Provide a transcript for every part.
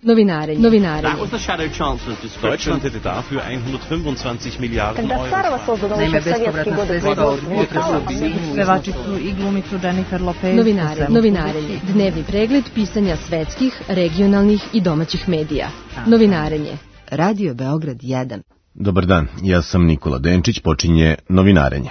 Novinarenje. That was the shadow chancellor of Deutschland hätte dafür 125 Milliarden Euro. Naime, bespovratna sredstva od budžeta pevačicu i glumicu Jennifer Lopez. Novinarenje. Dnevni pregled pisanja svetskih, regionalnih i domaćih medija. Novinarenje. Radio Beograd 1. Dobar dan, ja sam Nikola Denčić, počinje Novinarenje.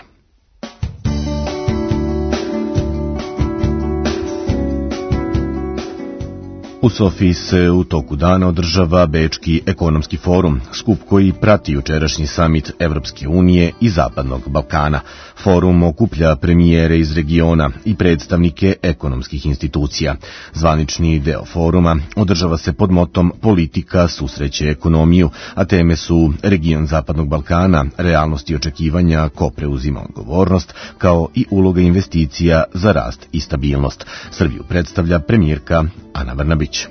U Sofiji se u toku dana održava Bečki ekonomski forum, skup koji prati jučerašnji samit Evropske unije i Zapadnog Balkana. Forum okuplja premijere iz regiona i predstavnike ekonomskih institucija. Zvanični deo foruma održava se pod motom Politika susreće ekonomiju, a teme su region Zapadnog Balkana, realnosti i očekivanja, ko preuzima odgovornost, kao i uloga investicija za rast i stabilnost. Srbiju predstavlja premijerka Ana Brnabić.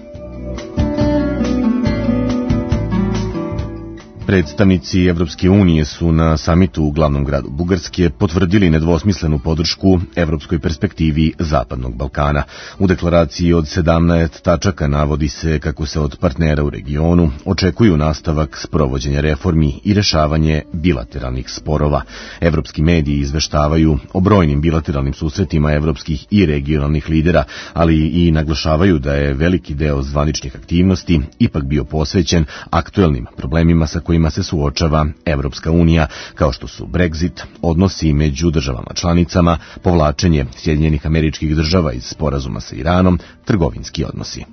Predstavnici Evropske unije su na samitu u glavnom gradu Bugarske potvrdili nedvosmislenu podršku evropskoj perspektivi Zapadnog Balkana. U deklaraciji od 17 tačaka navodi se kako se od partnera u regionu očekuju nastavak sprovođenja reformi i rešavanje bilateralnih sporova. Evropski mediji izveštavaju o brojnim bilateralnim susretima evropskih i regionalnih lidera, ali i naglašavaju da je veliki deo zvaničnih aktivnosti ipak bio posvećen aktuelnim problemima sa kojima se suočava Evropska unija, kao što su Brexit, odnosi među državama članicama, povlačenje Sjedinjenih Američkih Država iz sporazuma sa Iranom, trgovinski odnosi.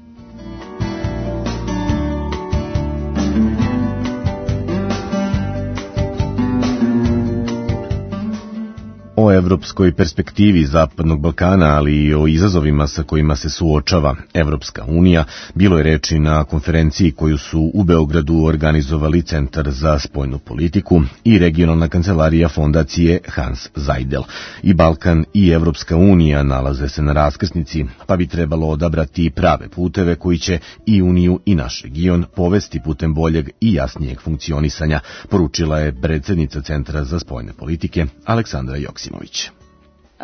O evropskoj perspektivi Zapadnog Balkana, ali i o izazovima sa kojima se suočava Evropska unija, bilo je reči na konferenciji koju su u Beogradu organizovali Centar za spoljnu politiku i regionalna kancelarija fondacije Hans Zajdel. I Balkan i Evropska unija nalaze se na raskrsnici, pa bi trebalo odabrati prave puteve koji će i Uniju i naš region povesti putem boljeg i jasnijeg funkcionisanja, poručila je predsjednica Centra za spoljne politike Aleksandra Joksimović.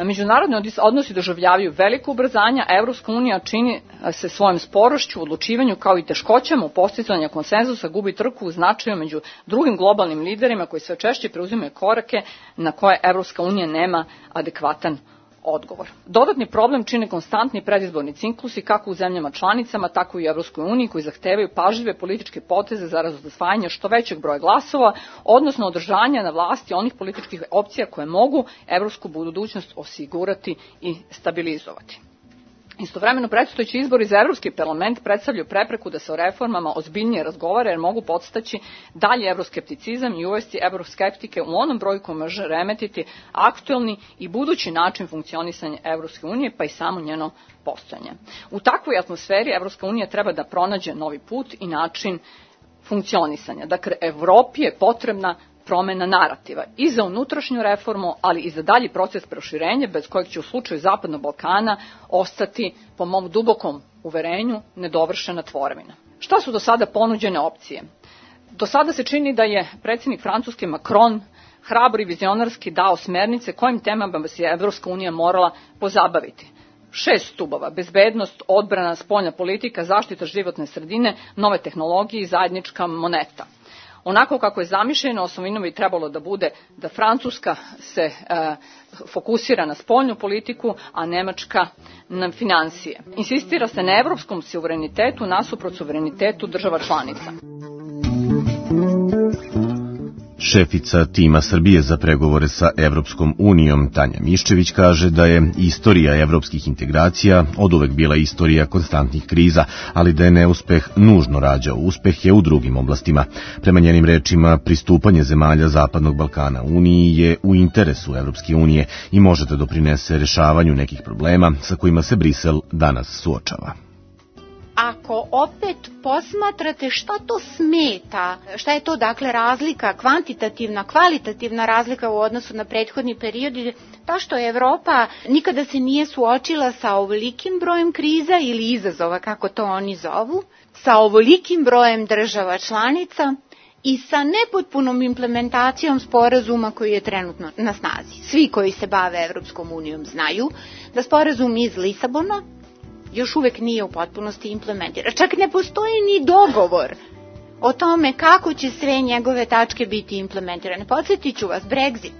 Međunarodni odnosi doživljavaju veliko ubrzanje, a Evropska unija čini se svojom sporošću u odlučivanju kao i teškoćama u postizanju konsenzusa gubi trku u značaju među drugim globalnim liderima koji sve češće preuzimaju korake na koje Evropska unija nema adekvatan odgovor. Dodatni problem čine konstantni predizborni ciklusi kako u zemljama članicama, tako i u Evropskoj uniji koji zahtevaju pažljive političke poteze za osvajanje što većeg broja glasova, odnosno održanja na vlasti onih političkih opcija koje mogu evropsku budućnost osigurati i stabilizovati. Istovremeno, predstojeći izbori za Evropski parlament predstavljaju prepreku da se o reformama ozbiljnije razgovara jer mogu podstaći dalje evroskepticizam i uvesti evroskeptike u onom broju koji može remetiti aktuelni i budući način funkcionisanja Evropske unije, pa i samo njeno postojanje. U takvoj atmosferi Evropska unija treba da pronađe novi put i način funkcionisanja. Dakle, Evropi je potrebna promena narativa i za unutrašnju reformu, ali i za dalji proces proširenja, bez kojeg će u slučaju Zapadnog Balkana ostati, po mom dubokom uverenju, nedovršena tvorevina. Šta su do sada ponuđene opcije? Do sada se čini da je predsjednik Francuske Macron hrabro i vizionarski dao smernice kojim temama bi se Evropska unija morala pozabaviti. 6 stubova: bezbednost, odbrana, spoljna politika, zaštita životne sredine, nove tehnologije i zajednička moneta. Onako kako je zamišljeno, osnovino bi trebalo da bude da Francuska se fokusira na spoljnu politiku, a Nemačka na finansije. Insistira se na evropskom suverenitetu nasuprot suverenitetu država članica. Šefica tima Srbije za pregovore sa Evropskom unijom Tanja Miščević kaže da je istorija evropskih integracija oduvek bila istorija konstantnih kriza, ali da je neuspeh nužno rađao uspehe u drugim oblastima. Prema njenim rečima, pristupanje zemalja Zapadnog Balkana Uniji je u interesu Evropske unije i može da doprinese rešavanju nekih problema sa kojima se Brisel danas suočava. Ako opet posmatrate šta to smeta, šta je to dakle razlika, kvantitativna, kvalitativna razlika u odnosu na prethodni period, ta što Evropa nikada se nije suočila sa ovolikim brojem kriza ili izazova, kako to oni zovu, sa ovolikim brojem država članica i sa nepotpunom implementacijom sporazuma koji je trenutno na snazi. Svi koji se bave Evropskom unijom znaju da sporazum iz Lisabona još uvek nije u potpunosti implementiran. Čak ne postoji ni dogovor o tome kako će sve njegove tačke biti implementirane. Podsjetit ću vas, Brexit.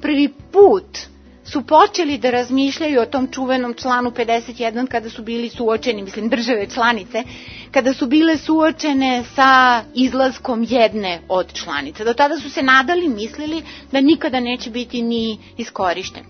Prvi put su počeli da razmišljaju o tom čuvenom članu 51 kada su bili suočeni, mislim države članice, kada su bile suočene sa izlaskom jedne od članica. Do tada su se nadali, mislili da nikada neće biti ni iskorišten.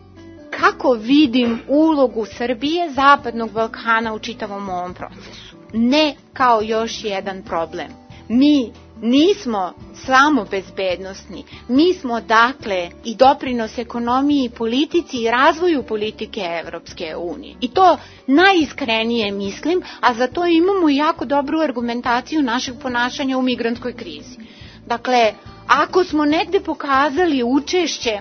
Kako vidim ulogu Srbije, Zapadnog Balkana u čitavom ovom procesu? Ne kao još jedan problem. Mi nismo samo bezbednosni, mi smo dakle i doprinos ekonomiji, politici i razvoju politike Evropske unije. I to najiskrenije mislim, a za to imamo jako dobru argumentaciju našeg ponašanja u migrantskoj krizi. Dakle, ako smo negde pokazali učešće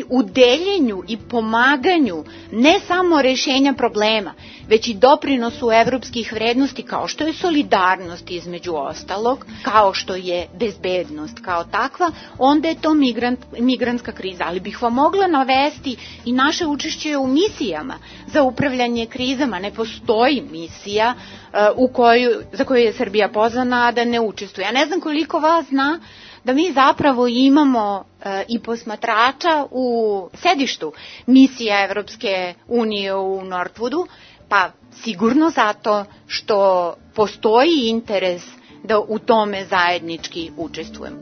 u deljenju i pomaganju ne samo rešenja problema, već i doprinosu evropskih vrednosti kao što je solidarnost između ostalog, kao što je bezbednost kao takva, onda je to migrantska kriza. Ali bih vam mogla navesti i naše učešće u misijama za upravljanje krizama. Ne postoji misija za koju je Srbija pozvana, a da ne učestvuje. Ja ne znam koliko vas zna da mi zapravo imamo i posmatrača u sedištu misija Evropske unije u Northwoodu, pa sigurno zato što postoji interes da u tome zajednički učestvujemo.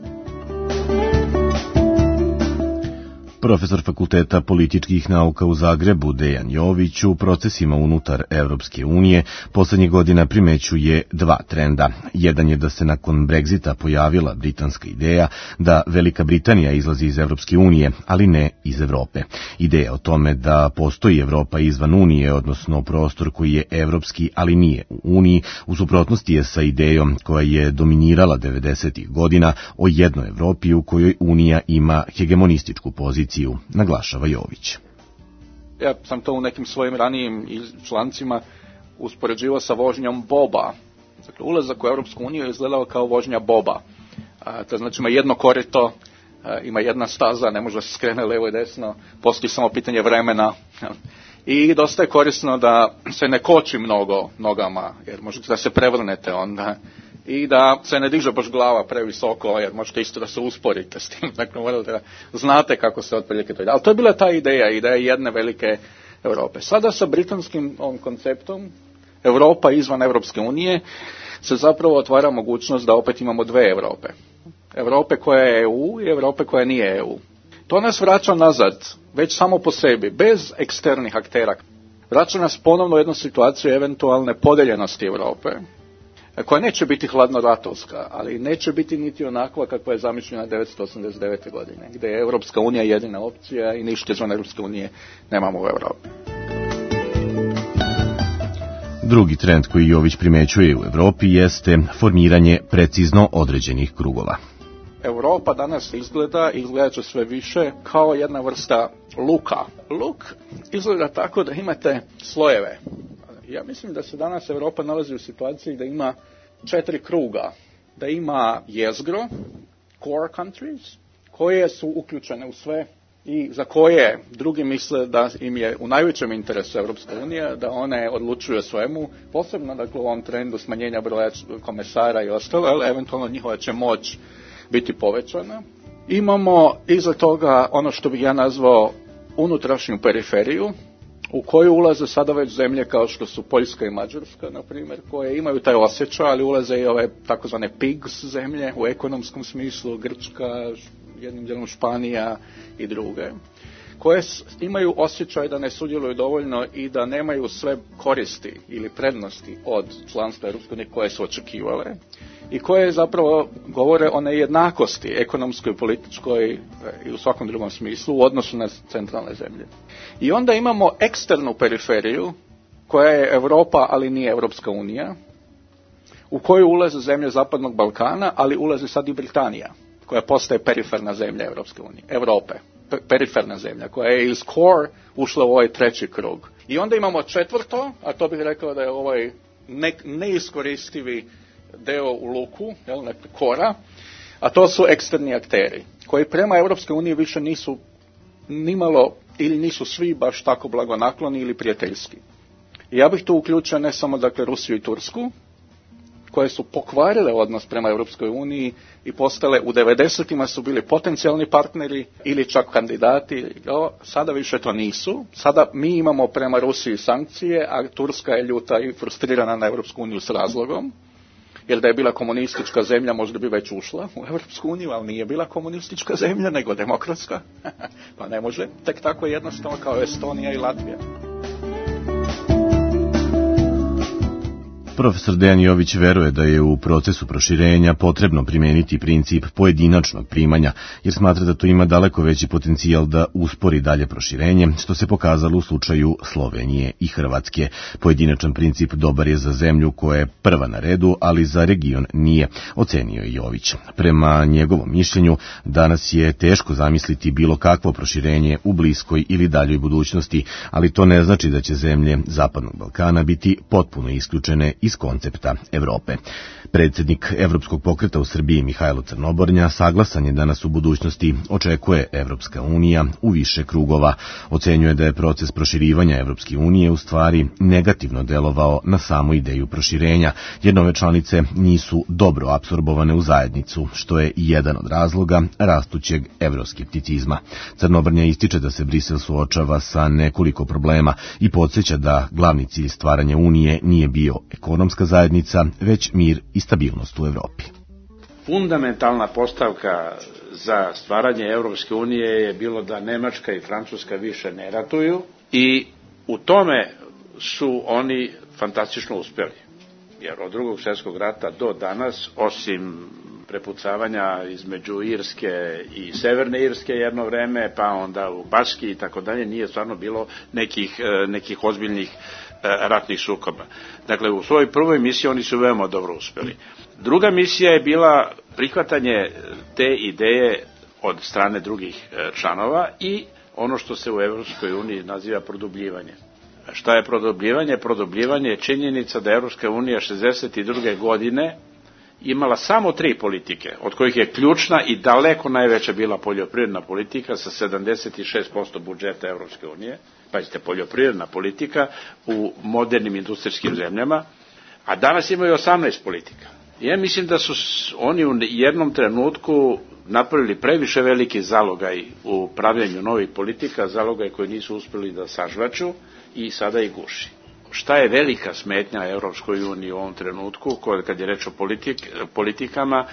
Profesor Fakulteta političkih nauka u Zagrebu Dejan Jović u procesima unutar Evropske unije poslednjih godina primećuje dva trenda. Jedan je da se nakon Brexita pojavila britanska ideja da Velika Britanija izlazi iz Evropske unije, ali ne iz Evrope. Ideja o tome da postoji Evropa izvan Unije, odnosno prostor koji je evropski, ali nije u Uniji, u suprotnosti je sa idejom koja je dominirala 90. godina o jednoj Evropi u kojoj Unija ima hegemonističku poziciju, naglašava Jović. Ja sam to u nekim svojim ranijim člancima uspoređivao sa vožnjom boba. Dakle, ulazak u Europsku uniju je izgledao kao vožnja boba. To znači ima jedno korito, ima jedna staza, ne može se skrene levo i desno, postoji samo pitanje vremena. I dosta je korisno da se ne koči mnogo nogama, jer možete da se prevrnete onda. I da se ne diže baš glava previsoko, jer možete isto da se usporite s tim. Dakle, morate da znate kako se otprilike to ide. Ali to je bila ta ideja jedne velike Europe. Sada sa britanskim ovim konceptom, Europa izvan Evropske unije, se zapravo otvara mogućnost da opet imamo dve Europe. Europe koja je EU i Europe koja nije EU. To nas vraća nazad, već samo po sebi, bez eksternih aktera. Vraća nas ponovno u jednu situaciju eventualne podeljenosti Europe, koja neće biti hladnoratovska, ali neće biti niti onakva kakva je zamišljena 1989. godine, gdje je Europska unija jedina opcija i ništa izvan Europske unije nemamo u Europi. Drugi trend koji Jović primećuje u Evropi jeste formiranje precizno određenih krugova. Europa danas izgleda će sve više kao jedna vrsta luka. Luk izgleda tako da imate slojeve. Ja mislim da se danas Europa nalazi u situaciji da ima 4 kruga. Da ima jezgro, core countries, koje su uključene u sve i za koje drugi misle da im je u najvećem interesu Europska unija, da one odlučuju o svemu, posebno dakle, u ovom trendu smanjenja broja komesara i ostalo, ali eventualno njihova će moć biti povećana. Imamo iza toga ono što bih ja nazvao unutrašnju periferiju, u koju ulaze sada već zemlje kao što su Poljska i Mađarska, na primjer, koje imaju taj osjećaj, ali ulaze i ove takozvane pigs zemlje u ekonomskom smislu, Grčka, jednim dijelom Španija i druge, koje imaju osjećaj da ne sudjeluju dovoljno i da nemaju sve koristi ili prednosti od članstva Europske unije koje su očekivale i koje zapravo govore o nejednakosti ekonomskoj, političkoj i u svakom drugom smislu u odnosu na centralne zemlje. I onda imamo eksternu periferiju koja je Europa, ali nije Europska unija, u koju ulaze zemlje Zapadnog Balkana, ali ulazi sad i Britanija, koja postaje periferna zemlja Europske unije, Europe, periferna zemlja, koja je iz core ušla u ovaj treći krug. I onda imamo četvrto, a to bih rekao da je ovaj neiskoristivi deo u luku, kora, a to su eksterni akteri, koji prema Europske unije više nisu nimalo ili nisu svi baš tako blagonakloni ili prijateljski. Ja bih tu uključio ne samo dakle Rusiju i Tursku, koje su pokvarile odnos prema Europskoj uniji i postale u 90-ima su bili potencijalni partneri ili čak kandidati. Sada više to nisu. Sada mi imamo prema Rusiji sankcije, a Turska je ljuta i frustrirana na Europsku uniju s razlogom. Jer da je bila komunistička zemlja, možda bi već ušla u Europsku uniju, ali nije bila komunistička zemlja, nego demokratska. Pa ne može tek tako jednostavno kao Estonija i Latvija. Profesor Dejan Jović veruje da je u procesu proširenja potrebno primeniti princip pojedinačnog primanja, jer smatra da to ima daleko veći potencijal da uspori dalje proširenje, što se pokazalo u slučaju Slovenije i Hrvatske. Pojedinačan princip dobar je za zemlju koja je prva na redu, ali za region nije, ocenio je Jović. Prema njegovom mišljenju, danas je teško zamisliti bilo kakvo proširenje u bliskoj ili daljoj budućnosti, ali to ne znači da će zemlje Zapadnog Balkana biti potpuno isključene iz koncepta Evrope. Predsjednik Evropskog pokreta u Srbiji Mihajlo Crnobornja saglasan je da nas u budućnosti očekuje Evropska unija u više krugova. Ocenjuje da je proces proširivanja Evropske unije u stvari negativno delovao na samu ideju proširenja, jer nove članice nisu dobro apsorbovane u zajednicu, što je jedan od razloga rastućeg evroskepticizma. Crnobornja ističe da se Brisel suočava sa nekoliko problema i podsjeća da glavni cilj stvaranja unije nije bio ekonomska zajednica, već mir i stabilnost u Evropi. Fundamentalna postavka za stvaranje Evropske unije je bilo da Nemačka i Francuska više ne ratuju i u tome su oni fantastično uspjeli. Jer od Drugog svjetskog rata do danas, osim prepucavanja između Irske i Severne Irske jedno vreme, pa onda u Baski i tako dalje, nije stvarno bilo nekih ozbiljnih ratnih sukoba. Dakle, u svojoj prvoj misiji oni su veoma dobro uspjeli. Druga misija je bila prihvatanje te ideje od strane drugih članova i ono što se u Evropskoj uniji naziva produbljivanje. Šta je produbljivanje? Produbljivanje je činjenica da Evropska unija 62. godine imala samo 3 politike, od kojih je ključna i daleko najveća bila poljoprivredna politika sa 76% budžeta Evropske unije. Pazite, poljoprivredna politika u modernim industrijskim zemljama, a danas imaju 18 politika. Ja mislim da su oni u jednom trenutku napravili previše veliki zalogaj u pravljenju novih politika, zalogaj koji nisu uspjeli da sažvaču i sada ih guši. Šta je velika smetnja Evropskoj uniji u ovom trenutku, kad je reč o politikama,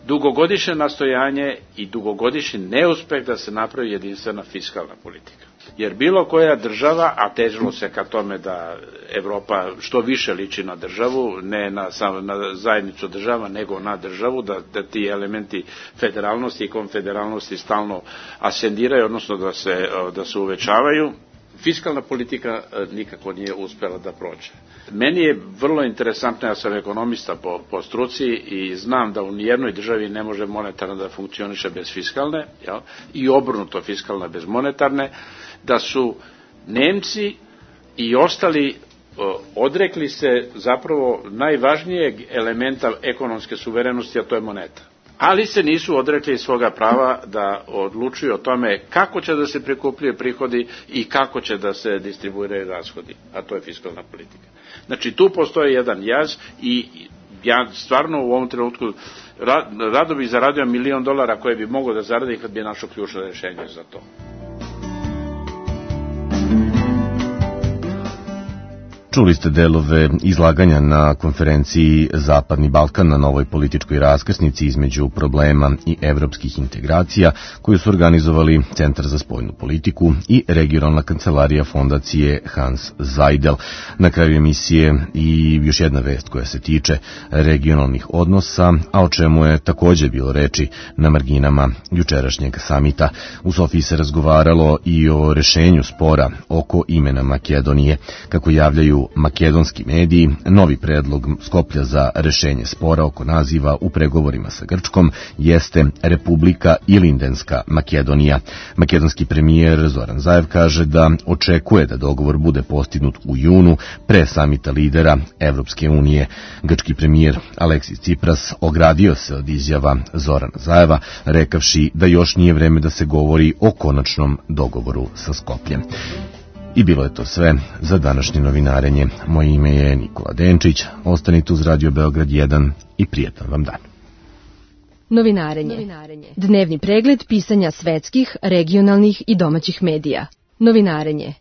dugogodišnje nastojanje i dugogodišnji neuspeh da se napravi jedinstvena fiskalna politika. Jer bilo koja država, a težilo se ka tome da Evropa što više liči na državu, ne na zajednicu država, nego na državu, da ti elementi federalnosti i konfederalnosti stalno asendiraju, odnosno da se uvećavaju, fiskalna politika nikako nije uspjela da prođe. Meni je vrlo interesantno, ja sam ekonomista po struci i znam da u nijednoj državi ne može monetarna da funkcioniše bez fiskalne, jel? I obrnuto fiskalna bez monetarne, da su Nemci i ostali odrekli se zapravo najvažnijeg elementa ekonomske suverenosti, a to je moneta. Ali se nisu odrekli svoga prava da odlučuju o tome kako će da se prikupljaju prihodi i kako će da se distribuiraju rashodi, a to je fiskalna politika. Znači tu postoji jedan jaz i ja stvarno u ovom trenutku rado bih zaradio $1 milion koje bi mogao da zaradi kad bi našao ključno rješenje za to. Čuli ste delove izlaganja na konferenciji Zapadni Balkan na novoj političkoj raskrsnici između problema i evropskih integracija koju su organizovali Centar za spoljnu politiku i regionalna kancelarija fondacije Hans Seidel. Na kraju emisije i još jedna vest koja se tiče regionalnih odnosa, a o čemu je također bilo reči na marginama jučerašnjeg samita. U Sofiji se razgovaralo i o rešenju spora oko imena Makedonije. Kako javljaju makedonski mediji, novi predlog Skoplja za rešenje spora oko naziva u pregovorima sa Grčkom jeste Republika Ilindenska Makedonija. Makedonski premijer Zoran Zaev kaže da očekuje da dogovor bude postignut u junu pre samita lidera Evropske unije. Grčki premijer Aleksis Tsipras ogradio se od izjava Zorana Zaeva, rekavši da još nije vreme da se govori o konačnom dogovoru sa Skopljem. I bilo je to sve za današnje novinarenje. Moje ime je Nikola Denčić. Ostanite uz Radio Beograd 1 i prijetan vam dan. Novinarenje. Dnevni pregled pisanja svetskih, regionalnih i domaćih medija. Novinarenje.